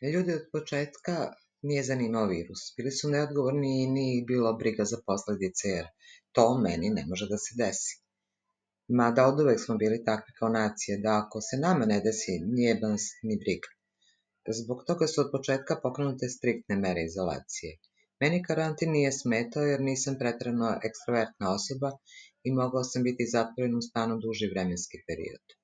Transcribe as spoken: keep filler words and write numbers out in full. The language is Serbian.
Ljudi od početka nije zanimao virus. Bili su neodgovorni i nije ih bilo briga za posledice, jer to meni ne može da se desi. Mada oduvek smo bili takvi kao nacije, da ako se nama ne desi, nije nas ni briga. Zbog toga su od početka pokrenute striktne mere izolacije. Meni karantin nije smetao jer nisam preterano ekstrovertna osoba i mogao sam biti zatvoren u stanu duži vremenski period.